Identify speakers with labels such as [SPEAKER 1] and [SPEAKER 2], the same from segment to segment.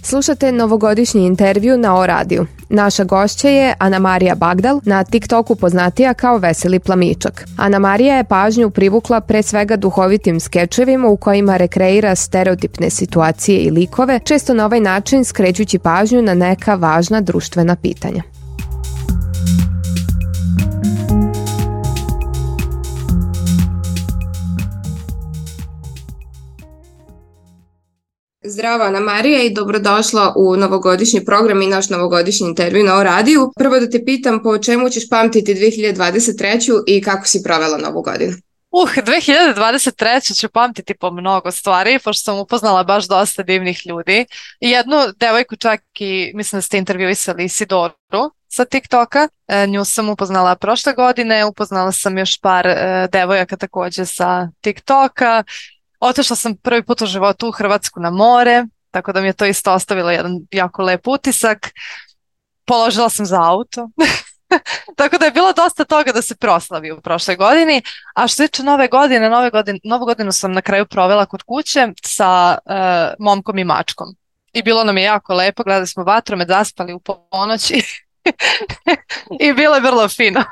[SPEAKER 1] Slušate novogodišnji intervju na O radiju. Naša gošća je Anamarija Bagdal, na TikToku poznatija kao Veseli plamičak. Anamarija je pažnju privukla pre svega duhovitim skečevima u kojima rekreira stereotipne situacije i likove, često na ovaj način skrećući pažnju na neka važna društvena pitanja. Zdravo Anamarija i dobrodošla u novogodišnji program i naš novogodišnji intervju na O radiju. Prvo da te pitam po čemu ćeš pamtiti 2023. i kako si provela novu godinu?
[SPEAKER 2] 2023. ću pamtiti po mnogo stvari, pošto sam upoznala baš dosta divnih ljudi. Jednu devojku čak i, mislim da ste intervjuisali Isidoru sa TikToka. Nju sam upoznala prošle godine, upoznala sam još par devojaka takođe sa TikToka. Otišla sam prvi put u životu u Hrvatsku na more, tako da mi je to isto ostavilo jedan jako lep utisak. Položila sam za auto. Tako da je bilo dosta toga da se proslavi u prošloj godini. A što se tiče novu godinu sam na kraju provela kod kuće sa momkom i mačkom. I bilo nam je jako lepo, gledali smo vatromet, zaspali u ponoći i bilo je vrlo fino.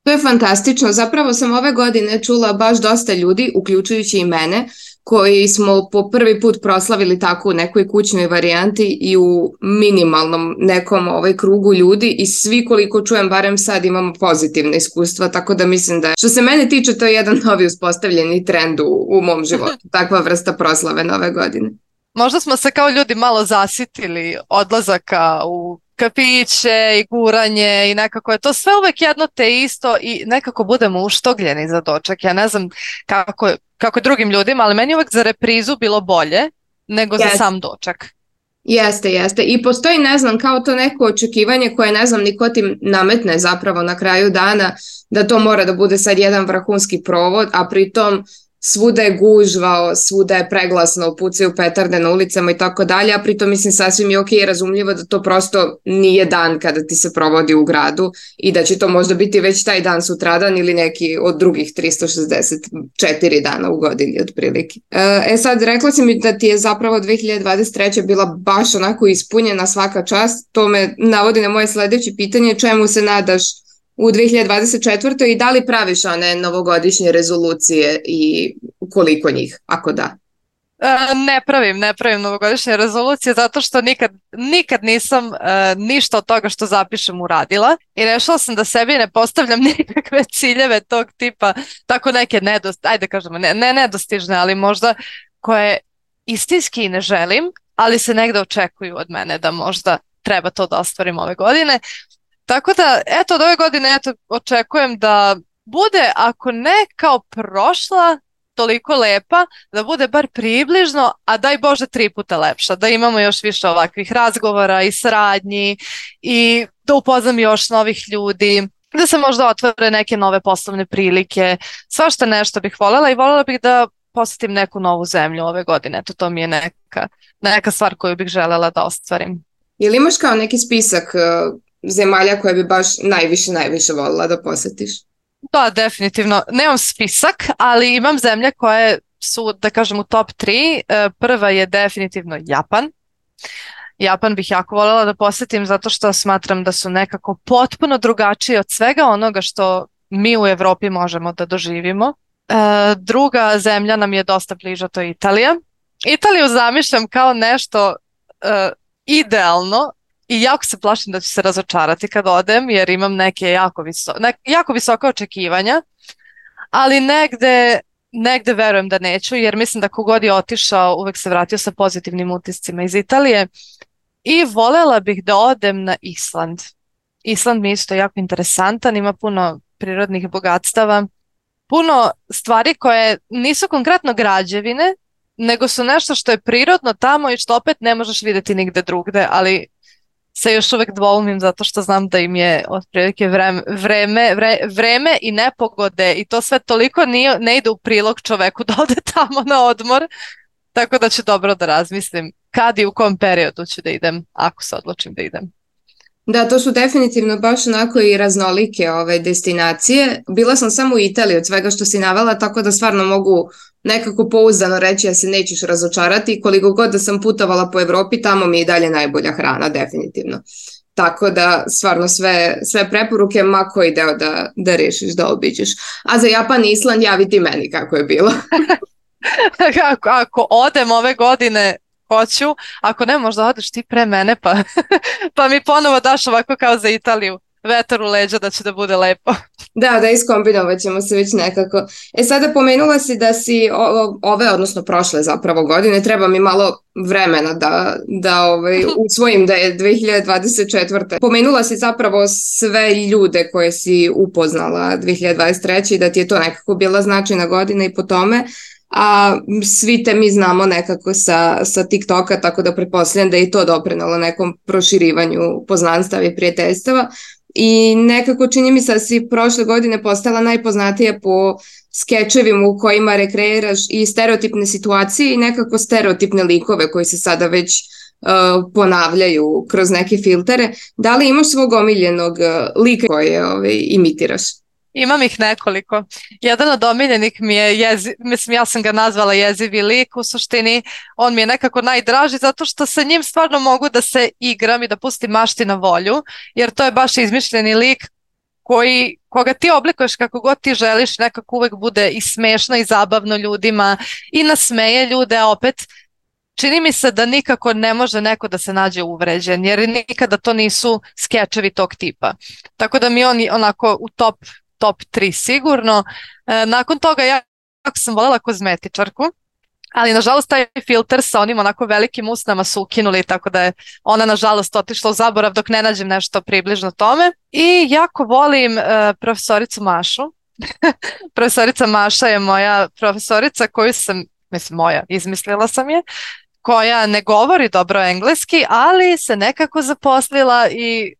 [SPEAKER 1] To je fantastično. Zapravo sam ove godine čula baš dosta ljudi, uključujući i mene, koji smo po prvi put proslavili tako u nekoj kućnoj varijanti i u minimalnom nekom krugu ljudi i svi koliko čujem barem sad imamo pozitivne iskustva, tako da mislim da što se mene tiče to je jedan novi uspostavljeni trend u mom životu, takva vrsta proslave nove godine.
[SPEAKER 2] Možda smo se kao ljudi malo zasitili odlazaka u kafiće i guranje i nekako je to sve uvek jedno te isto i nekako budemo uštogljeni za doček. Ja ne znam kako je drugim ljudima, ali meni uvek za reprizu bilo bolje nego za sam doček.
[SPEAKER 1] Jeste. I postoji, ne znam, kao to neko očekivanje koje, ne znam, niko ti nametne zapravo na kraju dana da to mora da bude sad jedan vrhunski provod, a pritom svuda je gužva, svuda je preglasno, pucaju petarde na ulicama i tako dalje, a pritom mislim sasvim je ok i razumljivo da to prosto nije dan kada ti se provodi u gradu i da će to možda biti već taj dan sutradan ili neki od drugih 364 dana u godini otprilike. Sad rekla si mi da ti je zapravo 2023. bila baš onako ispunjena svaka čast, to me navodi na moje sledeće pitanje, čemu se nadaš u 2024. i da li praviš one novogodišnje rezolucije i koliko njih, ako da?
[SPEAKER 2] Ne pravim novogodišnje rezolucije zato što nikad nisam ništa od toga što zapišem uradila i rešila sam da sebi ne postavljam nikakve ciljeve tog tipa, tako neke nedostižne, ali možda koje istinski ne želim, ali se negde očekuju od mene da možda treba to da ostvarim ove godine. Tako da, od ove godine očekujem da bude, ako ne kao prošla, toliko lepa, da bude bar približno, a daj Bože 3 puta lepša, da imamo još više ovakvih razgovora i saradnji i da upoznam još novih ljudi, da se možda otvore neke nove poslovne prilike, svašta nešto bih voljela i voljela bih da posetim neku novu zemlju ove godine. To mi je neka stvar koju bih želela da ostvarim.
[SPEAKER 1] Ili imaš kao neki spisak zemalja koje bi baš najviše voljela da posetiš?
[SPEAKER 2] Da, definitivno. Nemam spisak, ali imam zemlje koje su, da kažem, u top 3. Prva je definitivno Japan. Japan bih jako voljela da posetim zato što smatram da su nekako potpuno drugačiji od svega onoga što mi u Evropi možemo da doživimo. Druga zemlja nam je dosta bliža, to je Italija. Italiju zamišljam kao nešto idealno, i jako se plašim da ću se razočarati kad odem jer imam neke jako visoka očekivanja, ali negde verujem da neću jer mislim da kogod je otišao uvek se vratio sa pozitivnim utiscima iz Italije i voljela bih da odem na Island. Island mi je isto jako interesantan, ima puno prirodnih bogatstava, puno stvari koje nisu konkretno građevine, nego su nešto što je prirodno tamo i što opet ne možeš vidjeti nigde drugde, ali se još uvek dvoumim zato što znam da im je otprilike vreme i nepogode i to sve toliko ne ide u prilog čoveku da ode tamo na odmor, tako da ću dobro da razmislim kad i u kom periodu ću da idem, ako se odlučim da idem.
[SPEAKER 1] Da, to su definitivno baš onako i raznolike destinacije. Bila sam samo u Italiji od svega što si navela, tako da stvarno mogu nekako pouzdano reći da se nećeš razočarati. Koliko god da sam putovala po Evropi, tamo mi je i dalje najbolja hrana, definitivno. Tako da stvarno sve preporuke, ma koji deo da rešiš da obiđeš. A za Japan i Island javi ti meni kako je bilo.
[SPEAKER 2] Ako odem ove godine, hoću, ako ne, možda odeš ti pre mene pa mi ponovo daš ovako kao za Italiju, vetar u leđa da će da bude lepo.
[SPEAKER 1] Da, iskombinovati ćemo se već nekako. Sada pomenula si da si odnosno prošle zapravo godine, treba mi malo vremena da usvojim da je 2024. Pomenula si zapravo sve ljude koje si upoznala 2023. i da ti je to nekako bila značajna godina i po tome. A svi te mi znamo nekako sa TikToka, tako da pretpostavljam da je i to doprinalo nekom proširivanju poznanstava i prijateljstava. I nekako čini mi se da si prošle godine postala najpoznatija po skečevima u kojima rekreiraš i stereotipne situacije i nekako stereotipne likove koji se sada već ponavljaju kroz neke filtere. Da li imaš svog omiljenog lika koje imitiraš?
[SPEAKER 2] Imam ih nekoliko. Jedan od omiljenih mi je, mislim ja sam ga nazvala jezivi lik, u suštini on mi je nekako najdraži zato što sa njim stvarno mogu da se igram i da pustim mašti na volju, jer to je baš izmišljeni lik koga ti oblikuješ kako god ti želiš, nekako uvek bude i smešno i zabavno ljudima i nasmeje ljude, a opet čini mi se da nikako ne može neko da se nađe uvređen, jer nikada to nisu skečevi tog tipa. Tako da mi on onako u top 3 sigurno. Nakon toga ja sam voljela kozmetičarku, ali nažalost taj filter sa onim onako velikim usnama su ukinuli, tako da je ona nažalost otišla u zaborav dok ne nađem nešto približno tome. I jako volim profesoricu Mašu. Profesorica Maša je moja profesorica koju sam, mislim moja, izmislila sam je, koja ne govori dobro engleski, ali se nekako zaposlila i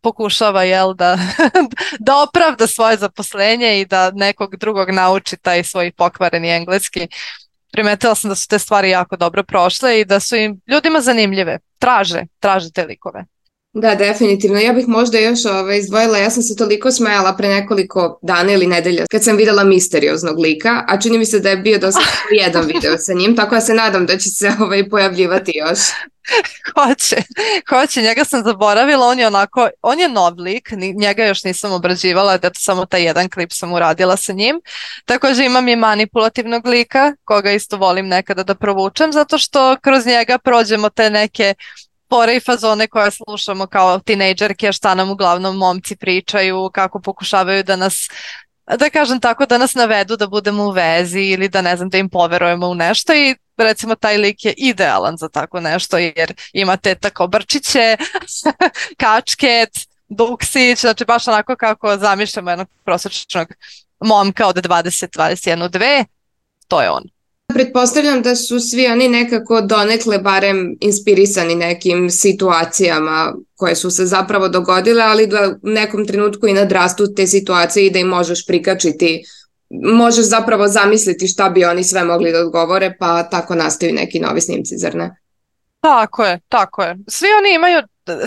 [SPEAKER 2] pokušava da opravda svoje zaposlenje i da nekog drugog nauči taj svoj pokvareni engleski. Primetila sam da su te stvari jako dobro prošle i da su im ljudima zanimljive. Traže te likove.
[SPEAKER 1] Da, definitivno. Ja bih možda još izdvojila, ja sam se toliko smejala pre nekoliko dana ili nedelja kad sam videla misterioznog lika, a čini mi se da je bio dosta jedan video sa njim, tako da se nadam da će se pojavljivati još.
[SPEAKER 2] Hoće, njega sam zaboravila, on je nov lik, njega još nisam obrađivala, da samo taj jedan klip sam uradila sa njim. Također imam i manipulativnog lika, koga isto volim nekada da provučem, zato što kroz njega prođemo te neke fore i fazone koje slušamo kao tinejdžerke, šta nam uglavnom momci pričaju, kako pokušavaju da nas, da kažem tako, da nas navedu da budemo u vezi ili da ne znam, da im poverujemo u nešto i recimo taj lik je idealan za tako nešto jer imate tako brčiće, kačket, duksić, znači baš onako kako zamišljamo jednog prosječnog momka od 20, 21, 2, to je on.
[SPEAKER 1] Pretpostavljam da su svi oni nekako donekle barem inspirisani nekim situacijama koje su se zapravo dogodile, ali da u nekom trenutku i nadrastu te situacije i da im možeš prikačiti, možeš zapravo zamisliti šta bi oni sve mogli da odgovore, pa tako nastaju neki novi snimci, zar ne?
[SPEAKER 2] Tako je.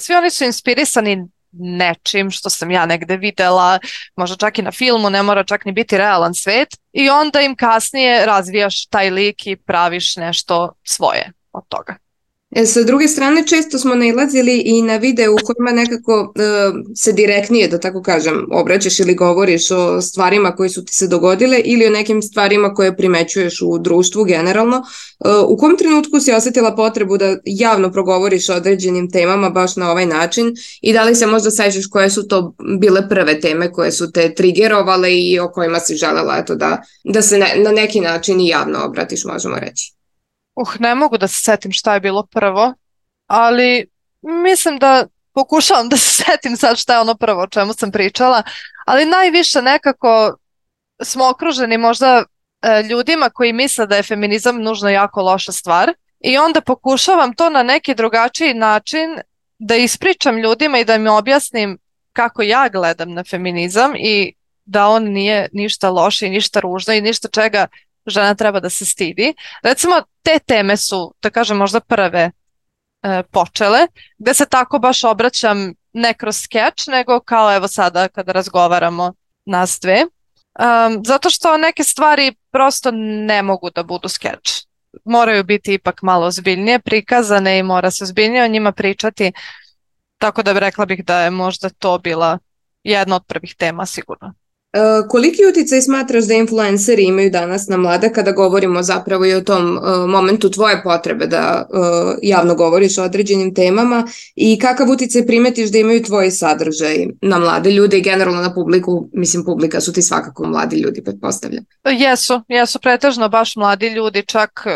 [SPEAKER 2] Svi oni su inspirisani nečim što sam ja negde videla, možda čak i na filmu, ne mora čak ni biti realan svet, i onda im kasnije razvijaš taj lik i praviš nešto svoje od toga.
[SPEAKER 1] Sa druge strane, često smo nailazili i na videu u kojima nekako se direktnije, da tako kažem, obraćaš ili govoriš o stvarima koje su ti se dogodile ili o nekim stvarima koje primećuješ u društvu generalno. U kom trenutku si osjetila potrebu da javno progovoriš o određenim temama baš na ovaj način i da li se možda sećaš koje su to bile prve teme koje su te trigerovale i o kojima si želela da se na neki način i javno obratiš, možemo reći?
[SPEAKER 2] Ne mogu da se setim šta je bilo prvo, ali mislim da pokušavam da se setim sad šta je ono prvo o čemu sam pričala, ali najviše nekako smo okruženi možda ljudima koji misle da je feminizam nužno jako loša stvar i onda pokušavam to na neki drugačiji način da ispričam ljudima i da im objasnim kako ja gledam na feminizam i da on nije ništa loše i ništa ružno i ništa čega žena treba da se stidi. Recimo, te teme su, da kažem, možda prve počele, gde se tako baš obraćam ne kroz skeč, nego kao evo sada kada razgovaramo nas dve. Zato što neke stvari prosto ne mogu da budu skeč. Moraju biti ipak malo ozbiljnije prikazane i mora se ozbiljnije o njima pričati. Tako da rekla bih da je možda to bila jedna od prvih tema sigurno.
[SPEAKER 1] Koliki uticaj smatraš da influenceri imaju danas na mlade kada govorimo zapravo i o tom momentu tvoje potrebe da javno govoriš o određenim temama i kakav uticaj primetiš da imaju tvoji sadržaj na mlade ljude i generalno na publiku? Mislim, publika su ti svakako mladi ljudi, pretpostavljam.
[SPEAKER 2] Jesu pretežno baš mladi ljudi, čak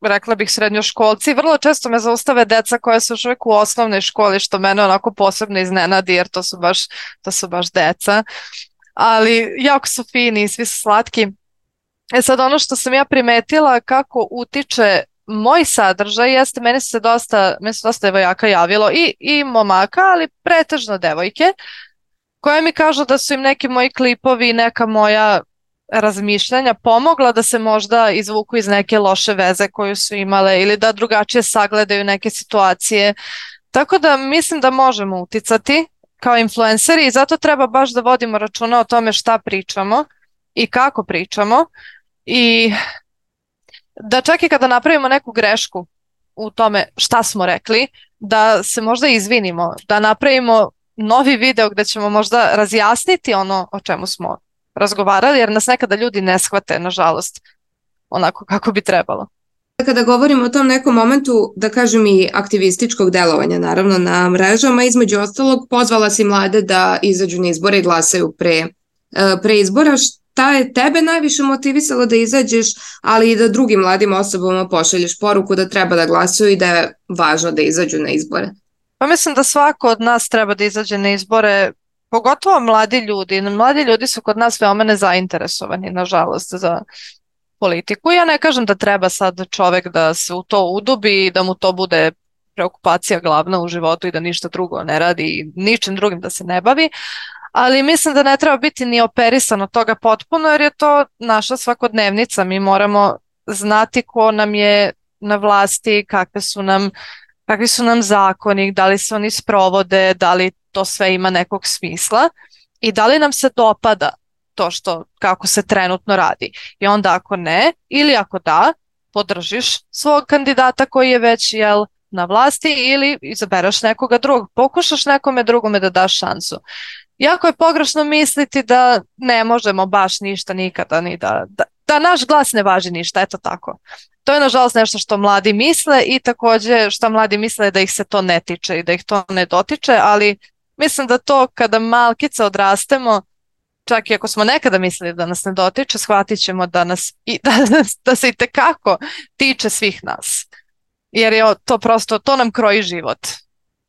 [SPEAKER 2] rekla bih srednjoškolci. Vrlo često me zaustave deca koja su još uvijek u osnovnoj školi, što mene onako posebno iznenadi jer to su baš deca. Ali jako su fini i svi su slatki. Sad ono što sam ja primetila kako utiče moj sadržaj jeste, meni se dosta devojaka javilo i momaka, ali pretežno devojke, koje mi kažu da su im neki moji klipovi, neka moja razmišljanja pomogla da se možda izvuku iz neke loše veze koju su imale ili da drugačije sagledaju neke situacije. Tako da mislim da možemo uticati kao influenceri i zato treba baš da vodimo računa o tome šta pričamo i kako pričamo i da čak i kada napravimo neku grešku u tome šta smo rekli, da se možda izvinimo, da napravimo novi video gdje ćemo možda razjasniti ono o čemu smo razgovarali, jer nas nekada ljudi ne shvate, nažalost, onako kako bi trebalo.
[SPEAKER 1] Kada govorimo o tom nekom momentu, da kažem i aktivističkog delovanja, naravno na mrežama, između ostalog pozvala si mlade da izađu na izbore i glasaju pre izbora. Šta je tebe najviše motivisalo da izađeš, ali i da drugim mladim osobama pošalješ poruku da treba da glasuju i da je važno da izađu na izbore?
[SPEAKER 2] Pa mislim da svako od nas treba da izađe na izbore, pogotovo mladi ljudi. Mladi ljudi su kod nas veoma nezainteresovani, nažalost, za politiku. Ja ne kažem da treba sad čovek da se u to udubi i da mu to bude preokupacija glavna u životu i da ništa drugo ne radi i ničim drugim da se ne bavi, ali mislim da ne treba biti ni operisan od toga potpuno jer je to naša svakodnevnica. Mi moramo znati ko nam je na vlasti, kakvi su nam zakoni, da li se oni sprovode, da li to sve ima nekog smisla i da li nam se dopada to kako se trenutno radi. I onda ako ne, ili ako da, podržiš svog kandidata koji je već na vlasti ili izabereš nekoga drugog, pokušaš nekome drugome da daš šansu. Jako je pogrešno misliti da ne možemo baš ništa nikada, ni da naš glas ne važi ništa, eto tako. To je nažalost nešto što mladi misle i također što mladi misle da ih se to ne tiče i da ih to ne dotiče, ali mislim da to kada malkice odrastemo, čak i ako smo nekada mislili da nas ne dotiče, shvatit ćemo da se itekako tiče svih nas. Jer je to prosto, to nam kroji život.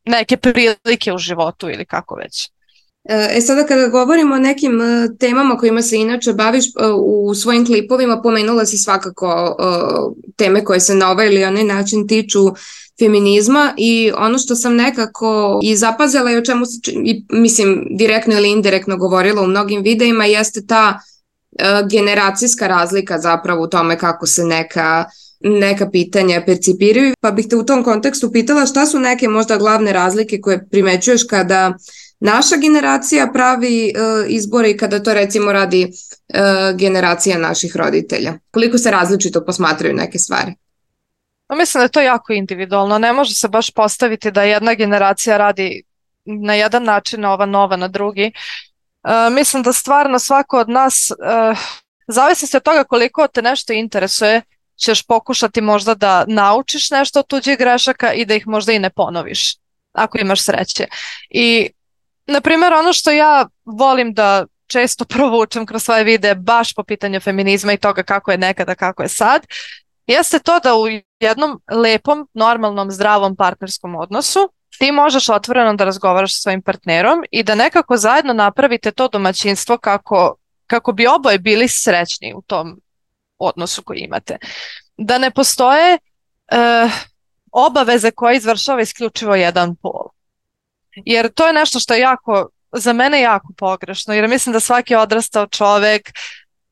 [SPEAKER 2] Neke prilike u životu ili kako već.
[SPEAKER 1] Sada kada govorimo o nekim temama kojima se inače baviš u svojim klipovima, pomenula si svakako teme koje se na ovaj ili onaj način tiču feminizma i ono što sam nekako i zapazila i o čemu se, mislim, direktno ili indirektno govorila u mnogim videima jeste ta generacijska razlika zapravo u tome kako se neka pitanja percipiraju. Pa bih te u tom kontekstu pitala šta su neke možda glavne razlike koje primećuješ kada naša generacija pravi izbore i kada to recimo radi generacija naših roditelja. Koliko se različito posmatraju neke stvari?
[SPEAKER 2] Mislim da je to jako individualno. Ne može se baš postaviti da jedna generacija radi na jedan način, a ova nova na drugi. Mislim da stvarno svako od nas, zavisi se od toga koliko te nešto interesuje, ćeš pokušati možda da naučiš nešto od tuđih grešaka i da ih možda i ne ponoviš, ako imaš sreće. I na primjer, ono što ja volim da često provučem kroz svoje videe baš po pitanju feminizma i toga kako je nekada, kako je sad, jeste to da u jednom lepom, normalnom, zdravom partnerskom odnosu ti možeš otvoreno da razgovaraš sa svojim partnerom i da nekako zajedno napravite to domaćinstvo kako bi oboje bili srećni u tom odnosu koji imate. Da ne postoje obaveze koje izvršava isključivo jedan pol. Jer to je nešto što je za mene jako pogrešno, jer mislim da svaki odrastao čovek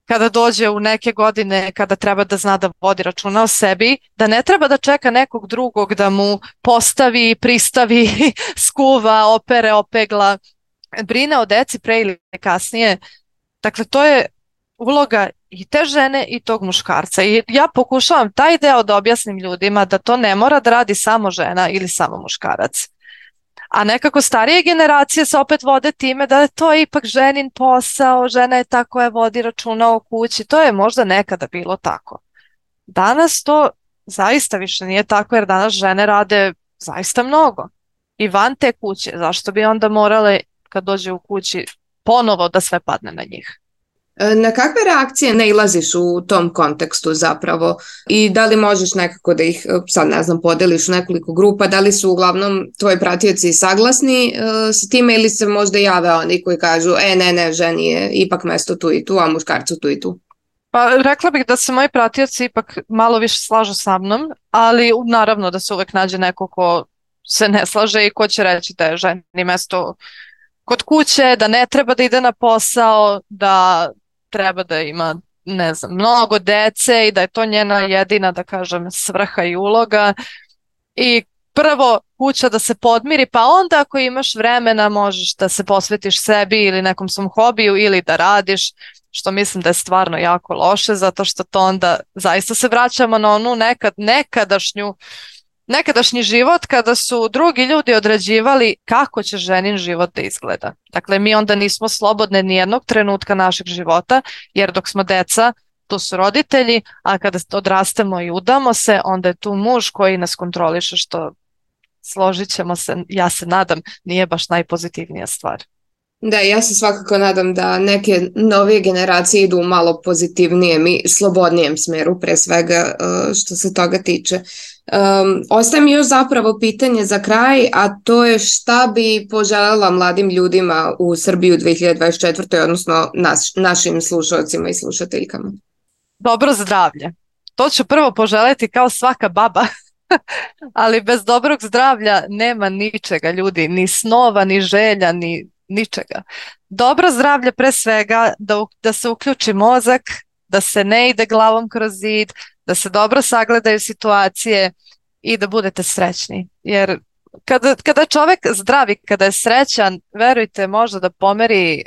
[SPEAKER 2] kada dođe u neke godine kada treba da zna da vodi računa o sebi, da ne treba da čeka nekog drugog da mu postavi, pristavi, skuva, opere, opegla, brine o deci pre ili kasnije. Dakle, to je uloga i te žene i tog muškarca. I ja pokušavam taj deo da objasnim ljudima da to ne mora da radi samo žena ili samo muškarac. A nekako starije generacije se opet vode time da je to ipak ženin posao, žena je ta koja vodi računa o kući. To je možda nekada bilo tako. Danas to zaista više nije tako, jer danas žene rade zaista mnogo. I van te kuće, zašto bi onda morale kad dođe u kući ponovo da sve padne na njih?
[SPEAKER 1] Na kakve reakcije nailaziš u tom kontekstu zapravo i da li možeš nekako da ih, sad ne znam, podeliš u nekoliko grupa, da li su uglavnom tvoji pratioci saglasni s time ili se možda jave oni koji kažu ne, ženi je ipak mesto tu i tu, a muškarcu tu i tu?
[SPEAKER 2] Pa rekla bih da se moji pratioci ipak malo više slažu sa mnom, ali naravno da se uvek nađe neko ko se ne slaže i ko će reći da je ženi mesto kod kuće, da ne treba da ide na posao, da treba da ima, ne znam, mnogo dece i da je to njena jedina, da kažem, svrha i uloga. I prvo kuća da se podmiri, pa onda ako imaš vremena možeš da se posvetiš sebi ili nekom svom hobiju ili da radiš, što mislim da je stvarno jako loše, zato što to onda zaista se vraćamo na onu nekadašnji život kada su drugi ljudi određivali kako će ženin život da izgleda. Dakle, mi onda nismo slobodne ni jednog trenutka našeg života, jer dok smo deca, tu su roditelji, a kada odrastemo i udamo se, onda je tu muž koji nas kontroliše, što, složit ćemo se, ja se nadam, nije baš najpozitivnija stvar.
[SPEAKER 1] Da, ja se svakako nadam da neke novije generacije idu u malo pozitivnijem i slobodnijem smeru, pre svega što se toga tiče. Ostaje mi još zapravo pitanje za kraj, a to je šta bi poželjela mladim ljudima u Srbiji u 2024. odnosno našim slušalcima i slušateljkama?
[SPEAKER 2] Dobro zdravlje. To ću prvo poželjeti kao svaka baba, ali bez dobrog zdravlja nema ničega, ljudi, ni snova, ni želja, ni ničega. Dobro zdravlje pre svega, da se uključi mozak, da se ne ide glavom kroz zid, da se dobro sagledaju situacije i da budete srećni. Jer kada je čovjek zdravi, kada je srećan, verujte, može da pomeri,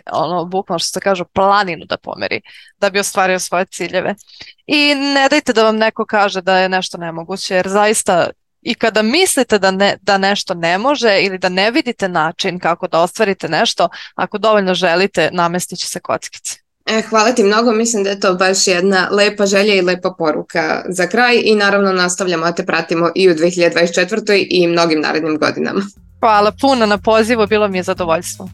[SPEAKER 2] bukvalno što se kaže, planinu da pomeri, da bi ostvario svoje ciljeve. I ne dajte da vam neko kaže da je nešto nemoguće, jer zaista i kada mislite da nešto ne može ili da ne vidite način kako da ostvarite nešto, ako dovoljno želite, namestit će se kockice.
[SPEAKER 1] Hvala ti mnogo, mislim da je to baš jedna lepa želja i lepa poruka za kraj i naravno nastavljamo da te pratimo i u 2024. i mnogim narednim godinama.
[SPEAKER 2] Hvala puno na pozivu, bilo mi je zadovoljstvo.